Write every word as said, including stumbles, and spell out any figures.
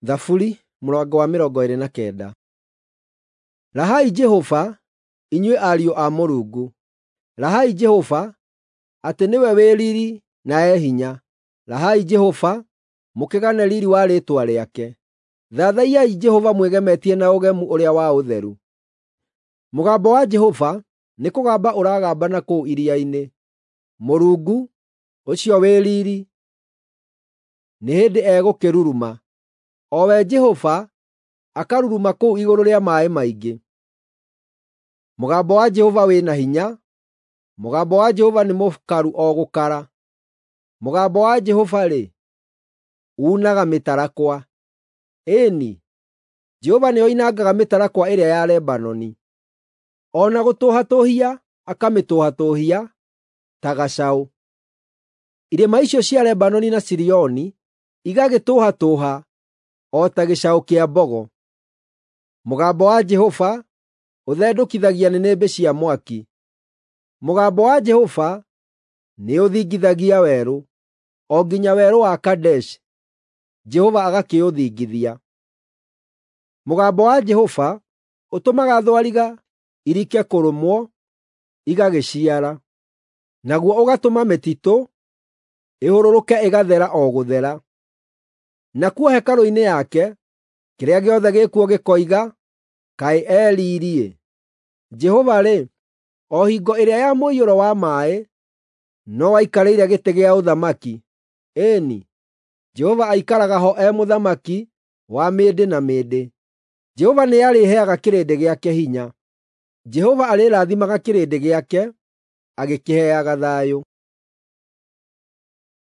Thaburi mũrango wa mĩrongo ĩĩrĩ na kenda. Rahai Jehova, inyuĩ ariũ a Mũrungu! Rahai Jehova, atĩ nĩwe wĩ riiri na e hinya. Rahai Jehova, mũkĩgane riiri wa rĩĩtwa rĩake. Thathaiyai Jehova mwĩgemetie na ũgemu ũrĩa wa ũtheru. Mũgambo wa Jehova nĩkũgamba ũragamba na kũu iria-inĩ. Mũrungu, ũcio wĩ riiri, nĩ hĩndĩ egũkĩruruma, o we Jehova akaruruma kũu igũrũ rĩa maaĩ maingĩ. Mũgambo wa Jehova wĩ na hinya, mũgambo wa Jehova nĩ mũkaru o gũkara. Mũgambo wa Jehova-rĩ, uunaga mĩtarakwa. Ĩĩ-ni, Jehova nĩoinangaga mĩtarakwa ĩrĩa ya Lebanoni, o na gũtũhatũũhia akamĩtũhatũũhia ta gacaũ. Irĩma icio cia Lebanoni na Sirioni igagĩtũhatũũha o ta gĩcaũ kĩa mbogo. Mũgambo wa Jehova ũthendũkithagia nĩnĩmbĩ cia mwaki. Mũgambo wa Jehova nĩũthingithagia werũ, o nginya werũ wa Kadeshi, Jehova agakĩũthingithia. Mũgambo wa Jehova ũtũmaga thwariga irike kũrũmwo, igagĩciara; naguo ũgatũma mĩtitũ ĩhũrũrũke ĩgathera o gũthera. Nakuo hekarũ-inĩ yake, kĩrĩa gĩothe gĩkuo gĩkoiga, “Kaĩ e riiri-ĩ!” Jehova-rĩ, o hingo ĩrĩa ya mũiyũro wa maaĩ, no aikarĩire gĩtĩ gĩa ũthamaki; ĩĩ-ni, Jehova aikaraga ho e Mũthamaki wa mĩndĩ na mĩndĩ. Jehova nĩarĩheaga kĩrĩndĩ gĩake hinya. Jehova arĩrathimaga kĩrĩndĩ gĩake agĩkĩheaga thayũ.